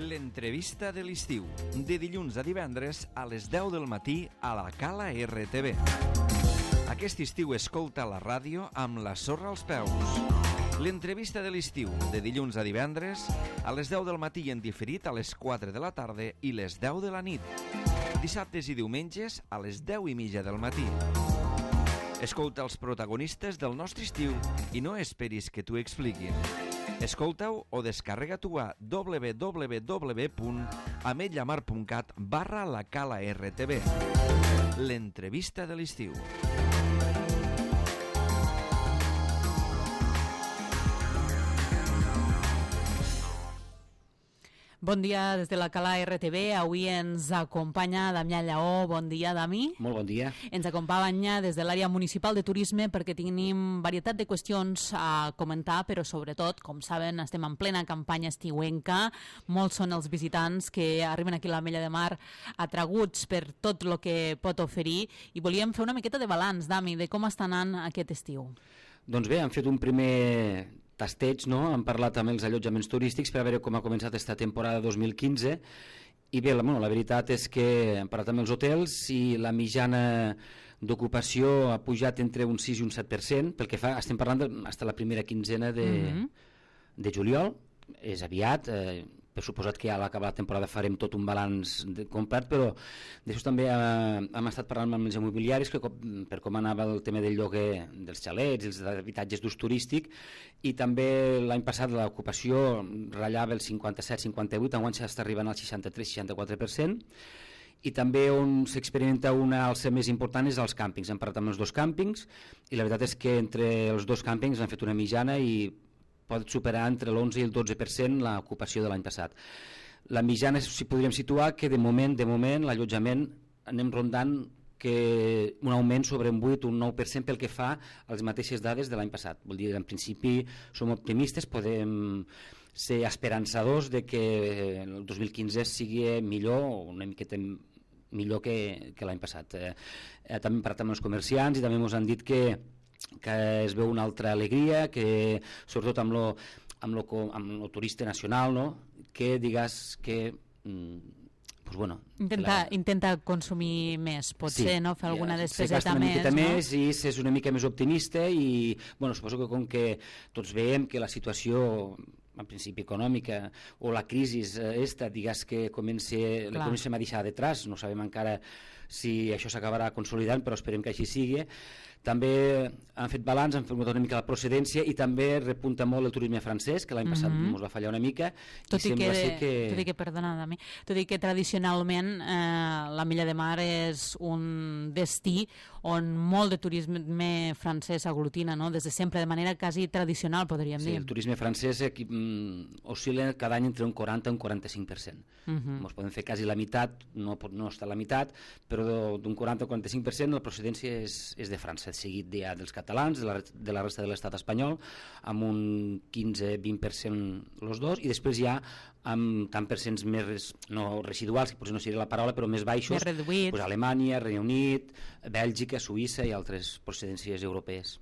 L'entrevista de l'estiu, de dilluns a divendres a les 10 del matí a la Cala RTV. Aquest estiu escolta la ràdio amb la sorra als peus. L'entrevista de l'estiu, de dilluns a divendres a les 10 del matí i en diferit a les 4 de la tarda i les 10 de la nit. Dissabtes i diumenges a les 10:30 del matí. Escolta els protagonistes del nostre estiu i no esperis que t'ho expliquin. Escolta-ho o descarrega-t'ho a www.ametlllamar.cat/la Cala RTV. L'entrevista de l'estiu. Bon dia des de la Cala RTV. Avui ens acompanya Damià Lleó. Bon dia, Dami. Molt bon dia. Ens acompanya des de l'àrea municipal de turisme perquè tenim varietat de qüestions a comentar, però sobretot, com saben, estem en plena campanya estiuenca. Molts són els visitants que arriben aquí a l'Ametlla de Mar atraguts per tot el que pot oferir i volíem fer una miqueta de balanç, Dami, de com està anant aquest estiu. Doncs bé, hem fet un primer tasteig, no? Hem parlat amb els allotjaments turístics per a veure com ha començat aquesta temporada 2015 i bé, la veritat és que hem parlat amb els hotels i la mitjana d'ocupació ha pujat entre un 6 i un 7%, pel que fa, estem parlant fins a la primera quinzena de juliol, és aviat, per suposat que a l'acabar la temporada farem tot un balanç complet, però d'això també hem estat parlant amb els immobiliaris per com anava el tema del lloguer dels xalets, els habitatges d'ús turístic, i també l'any passat l'ocupació ratllava el 57-58, enguany s'està arribant al 63-64%, i també on s'experimenta una alça més important és als càmpings. Hem parlat amb els dos càmpings i la veritat és que entre els dos càmpings han fet una mitjana i pot superar entre l'11 i el 12% l'ocupació de l'any passat. La mitjana, si podríem situar, que de moment l'allotjament anem rondant que un augment sobre un 8 o un 9% pel que fa a les mateixes dades de l'any passat. Vol dir, en principi som optimistes, podem ser esperançadors de que el 2015 sigui millor o una miqueta millor que l'any passat. També hem parlat amb els comerciants i també ens han dit que es veu una altra alegria, que sobretot amb lo turista nacional, no? Que digues que pues bueno, intenta consumir més, potser, sí, no? Fer alguna despeseta més, més, i és una mica més optimista i bueno, suposo que com que tots veiem que la situació en principi econòmica o la crisi digues que comencem a deixar detrás, no sabem encara si això s'acabarà consolidant, però esperem que així sigui. També han fet balanç, han fet una mica la procedència i també repunta molt el turisme francès, que l'any passat ens va fallar una mica. Tot i que tradicionalment l'Ametlla de Mar és un destí on molt de turisme francès aglutina, no? Des de sempre, de manera quasi tradicional, podríem dir. Sí, el turisme francès oscil·la cada any entre un 40 i un 45%. Ens podem fer quasi la meitat, no està a la meitat, però d'un 40 al 45% la procedència és de França, seguit dels catalans, de la resta de l'estat espanyol, amb un 15-20% els dos, i després hi ha amb tant percents més, no residuals, que potser no seria la paraula, però més baixos, pues Alemanya, Regne Unit, Bèlgica, Suïssa i altres procedències europees.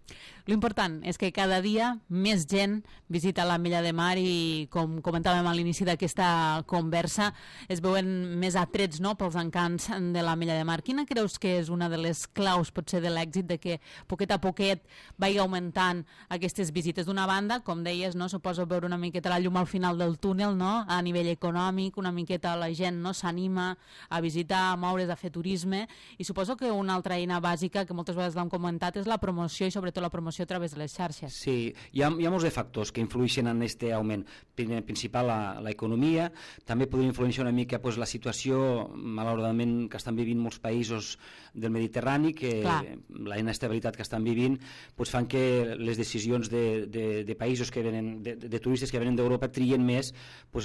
L'important és que cada dia més gent visita l'Ametlla de Mar i, com comentàvem a l'inici d'aquesta conversa, es veuen més atrets, no?, pels encants de l'Ametlla de Mar. Quina creus que és una de les claus, potser, de l'èxit de que poquet a poquet vagi augmentant aquestes visites? D'una banda, com deies, no, suposo veure una miqueta la llum al final del túnel, no?, a nivell econòmic, una miqueta la gent, no, s'anima a visitar, a moure's, a fer turisme, i suposo que una altra eina bàsica que moltes vegades l'hem comentat és la promoció, i sobretot la promoció a través de les xarxes. Sí, hi ha molts de factors que influeixen en aquest augment. Principal, l'economia, també podria influenciar una mica la situació, malauradament, que estan vivint molts països del Mediterrani, que la inestabilitat que estan vivint fan que les decisions de països que venen, de turistes que venen d'Europa, trien més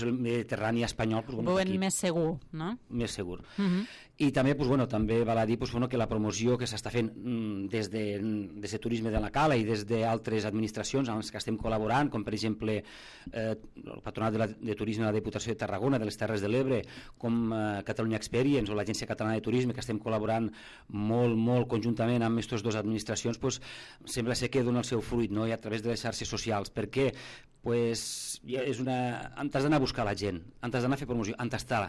el Mediterrani espanyol. Ho veuen més segur, no? Més segur. I també, també val a dir que la promoció que s'està fent des de Turisme de la Cala i des d'altres administracions amb les que estem col·laborant, com per exemple el Patronat de Turisme de la Diputació de Tarragona, de les Terres de l'Ebre, com Catalunya Experience o l'Agència Catalana de Turisme, que estem col·laborant molt conjuntament amb aquestes dues administracions, sembla ser que dona el seu fruit, no? I a través de les xarxes socials. Per què? T'has d'anar a buscar la gent, t'has d'anar a fer promoció, on està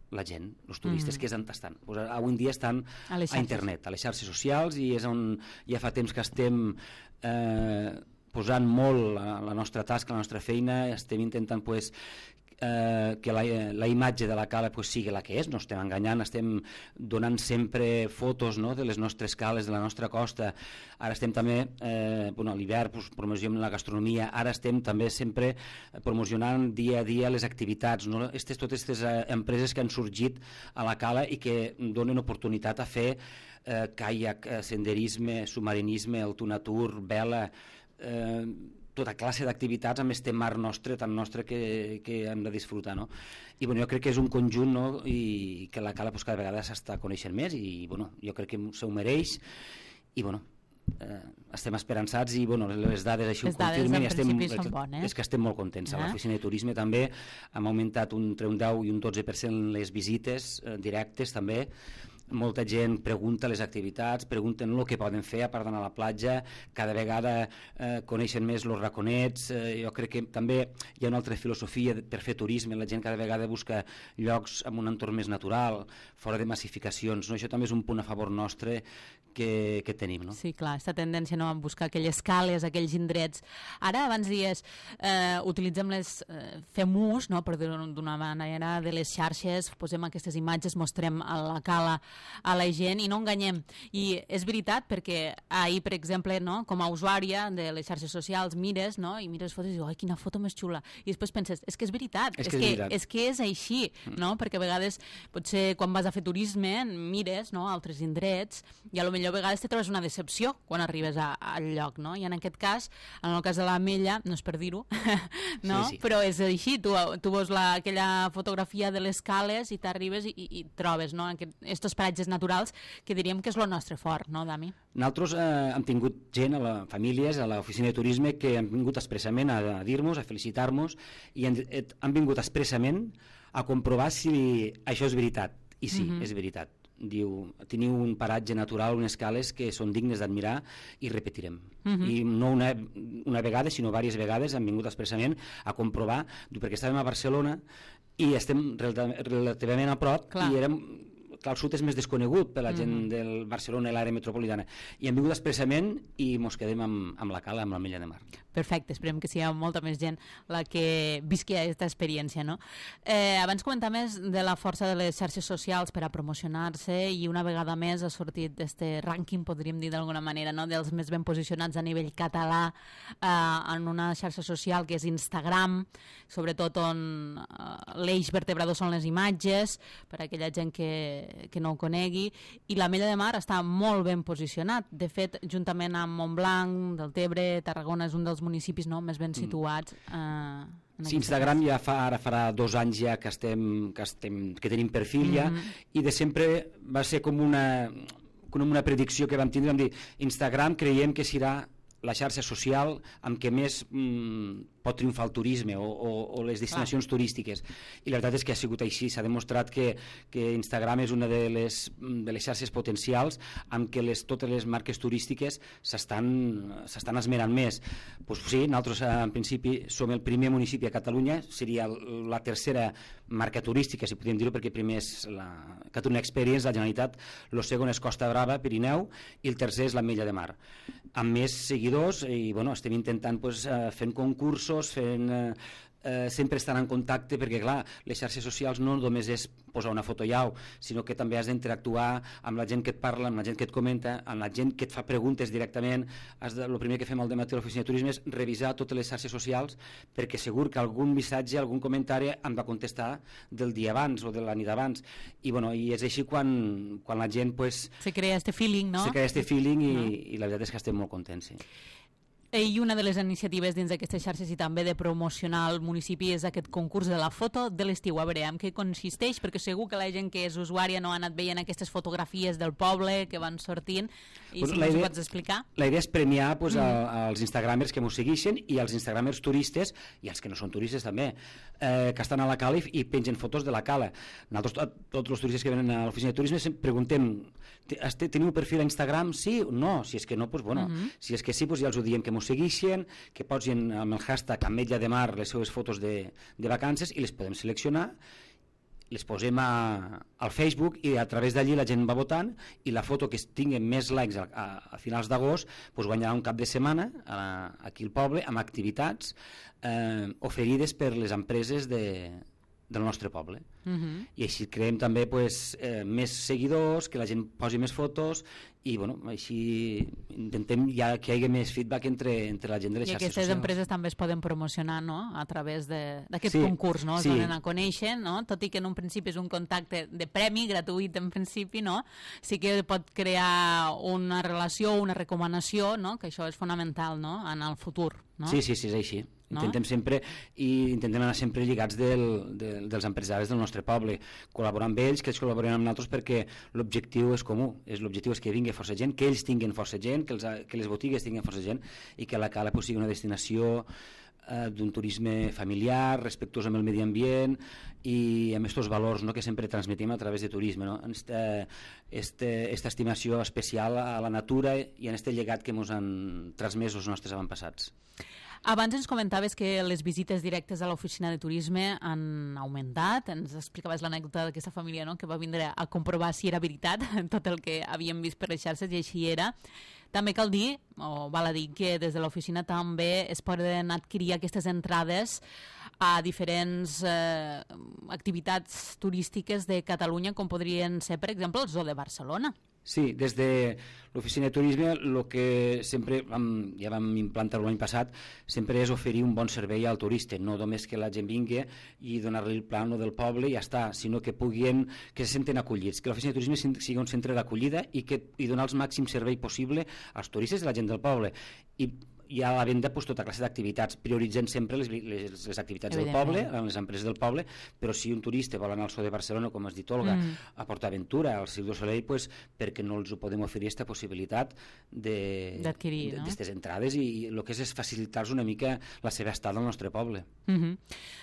la gent, els turistes, que és on estan. Avui en dia estan a internet, a les xarxes socials, i és on ja fa temps que estem posant molt la nostra tasca, la nostra feina, estem intentant que la imatge de la cala sigui la que és, no estem enganyant, estem donant sempre fotos, no?, de les nostres cales, de la nostra costa. Ara estem també, a l'hivern promocionem la gastronomia, ara estem també sempre promocionant dia a dia les activitats, no? Totes aquestes empreses que han sorgit a la cala i que donen oportunitat a fer caiac, senderisme, submarinisme, autonatur, vela, tota classe d'activitats amb este mar nostre, tan nostre, que hem de disfrutar, no? I jo crec que és un conjunt, no?, i que la cala cada vegada s'està coneixent més, i jo crec que s'ho mereix, i estem esperançats, i les dades així ho confirmen, i és que estem molt contents. A l'oficina de turisme també hem augmentat entre un 10 i un 12% les visites directes també. Molta gent pregunta les activitats, pregunten el que poden fer a part d'anar a la platja, cada vegada coneixen més els raconets. Jo crec que també hi ha una altra filosofia per fer turisme, la gent cada vegada busca llocs amb un entorn més natural, fora de massificacions, no? Això també és un punt a favor nostre que tenim, no? Sí, clar, aquesta tendència, no?, a buscar aquelles cales, aquells indrets. Ara, abans dies, utilitzem fem ús, no?, per dir-ho d'una manera, de les xarxes, posem aquestes imatges, mostrem a la cala a la gent i no enganyem. I és veritat, perquè ahir, per exemple, no?, com a usuària de les xarxes socials, mires, no?, i mires fotos i dius, ai, quina foto més xula. I després penses, és que és veritat, és que és així, no?, perquè a vegades, potser quan vas a fer turisme, mires, no?, altres indrets, i potser a vegades te trobes una decepció quan arribes al lloc, no? I en aquest cas, en el cas de l'Ametlla, no és per dir-ho, no? Sí. Però és així, tu veus aquella fotografia de les cales i t'arribes i trobes, no?, aquests paratges naturals que diríem que és el nostre fort, no, Dami? Nosaltres hem tingut gent, famílies, a l'oficina de turisme, que han vingut expressament a dir-nos, a felicitar-nos, i han vingut expressament a comprovar si això és veritat. I sí, és veritat. Diu, teniu un paratge natural, unes cales que són dignes d'admirar i repetirem. I no una vegada, sinó diverses vegades han vingut expressament a comprovar, perquè estàvem a Barcelona i estem relativament a prop. Clar. I érem... Clar, el sud és més desconegut per la gent del Barcelona i l'àrea metropolitana, i hem vingut expressament i mos quedem amb la cala, amb l'Ametlla de Mar. Perfecte, esperem que sigui molta més gent la que visqui aquesta experiència, no? Abans comentar més de la força de les xarxes socials per a promocionar-se, i una vegada més ha sortit aquest rànquing, podríem dir d'alguna manera, no?, dels més ben posicionats a nivell català en una xarxa social que és Instagram, sobretot on l'eix vertebrador són les imatges, per a aquella gent que no ho conegui, i l'Ametlla de Mar està molt ben posicionat. De fet, juntament amb Montblanc, Deltebre, Tarragona és un dels municipis, no?, més ben situats. Sí, Instagram ja ara farà 2 anys ja que tenim perfil ja, i de sempre va ser com una predicció que vam tindre, vam dir, Instagram creiem que serà la xarxa social amb què més pot triomfar el turisme o les destinacions turístiques, i la veritat és que ha sigut així. S'ha demostrat que Instagram és una de les xarxes potencials amb què totes les marques turístiques s'estan esmerant més. Doncs sí, nosaltres en principi som el primer municipi a Catalunya, seria la tercera marca turística, si podem dir-ho, perquè primer és la Catalunya Experience, la Generalitat, el segon és Costa Brava, Pirineu, i el tercer és l'Ametlla de Mar, amb més seguidors, i estem intentant fent concursos, sempre estan en contacte, perquè clar, les xarxes socials no només és posar una foto llau, sinó que també has d'interactuar amb la gent que et parla, amb la gent que et comenta, amb la gent que et fa preguntes directament. El primer que fem al dematí a l'oficina de turisme és revisar totes les xarxes socials, perquè segur que algun missatge, algun comentari em va contestar del dia abans o de la nit abans, i és així quan la gent se crea este feeling, no? Se crea este feeling, i la veritat és que estem molt contents, sí. I una de les iniciatives dins d'aquestes xarxes i també de promocionar el municipi és aquest concurs de la foto de l'estiu. A veure, en què consisteix? Perquè segur que la gent que és usuària no ha anat veient aquestes fotografies del poble que van sortint i si ens ho pots explicar. La idea és premiar als instagramers que m'ho segueixen i als instagramers turistes i els que no són turistes també, que estan a la cala i pengen fotos de la cala. Nosaltres, tots els turistes que venen a l'oficina de turisme preguntem, teniu perfil a Instagram? Sí o no? Si és que no, doncs bueno, si és que sí, doncs ja els ho diem que m'ho segueixen, que posin amb el hashtag Ametlla de Mar les seves fotos de vacances i les podem seleccionar, les posem al Facebook i a través d'allí la gent va votant i la foto que tingui més likes a finals d'agost doncs guanyarà un cap de setmana aquí al poble amb activitats oferides per les empreses del nostre poble. I així creem també més seguidors, que la gent posi més fotos i així intentem que hi hagi més feedback entre la gent de les xarxes socials. I aquestes empreses també es poden promocionar a través d'aquest concurs, no? Es donen a conèixer, no? Tot i que en un principi és un contacte de premi, gratuït en principi, no? Sí que pot crear una relació, una recomanació, no? Que això és fonamental, no? En el futur, no? Sí, és així. Intentem anar sempre lligats dels empresaris del nostre poble, col·laborar amb ells, que ells col·laboren amb nosaltres perquè l'objectiu és comú, l'objectiu és que vingui força gent, que ells tinguin força gent, que les botigues tinguin força gent i que la cala sigui una destinació d'un turisme familiar, respectuós amb el medi ambient i amb aquests valors que sempre transmetim a través de turisme, esta estimació especial a la natura i en aquest llegat que ens han transmès els nostres avantpassats. Abans ens comentaves que les visites directes a l'oficina de turisme han augmentat, ens explicaves l'anècdota d'aquesta família, no?, que va vindre a comprovar si era veritat tot el que havíem vist per les xarxes i així era. També cal dir, o val a dir, que des de l'oficina també es poden adquirir aquestes entrades a diferents activitats turístiques de Catalunya, com podrien ser, per exemple, el Zoo de Barcelona. Sí, des de l'oficina de turisme el que sempre ja vam implantar l'any passat sempre és oferir un bon servei al turista, no només que la gent vingui i donar-li el plano del poble i ja està, sinó que se senten acollits, que l'oficina de turisme sigui un centre d'acollida i donar el màxim servei possible als turistes i a la gent del poble. I a la venda tota classe d'activitats, prioritzant sempre les activitats del poble, les empreses del poble, però si un turista vol anar al Zoo de Barcelona, com has dit, Olga, a PortAventura, al Cirque du Soleil, perquè no els ho podem oferir aquesta possibilitat d'adquirir aquestes entrades i el que és facilitar-los una mica la seva estada al nostre poble.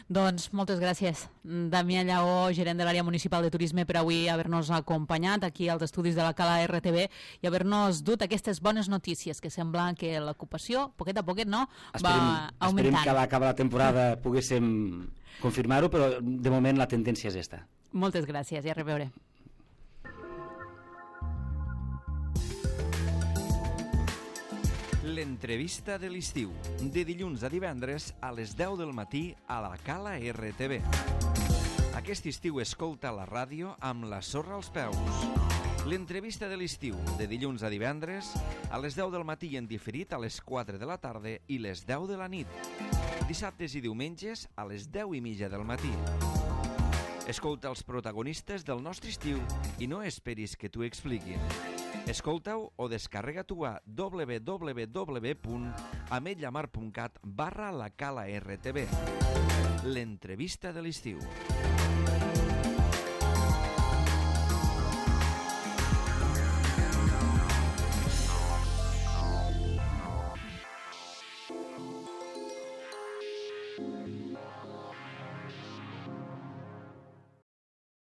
Doncs moltes gràcies, Damià Lleó, gerent de l'àrea municipal de turisme, per avui haver-nos acompanyat aquí als estudis de la Cala RTV i haver-nos dut aquestes bones notícies, que sembla que l'ocupació poquet a poquet, no? Va augmentant. Esperem que a l'acabar la temporada poguéssim confirmar-ho, però de moment la tendència és esta. Moltes gràcies i a reveure. L'entrevista de l'estiu, de dilluns a divendres a les 10 del matí a la Cala RTV. Aquest estiu escolta la ràdio amb la sorra als peus. L'entrevista de l'estiu, de dilluns a divendres, a les 10 del matí en diferit a les 4 de la tarda i les 10 de la nit. Dissabtes i diumenges a les 10:30 del matí. Escolta els protagonistes del nostre estiu i no esperis que t'ho expliquin. Escolta-ho o descarrega-t'ho a www.ametlamar.cat/la Cala RTV. L'entrevista de l'estiu.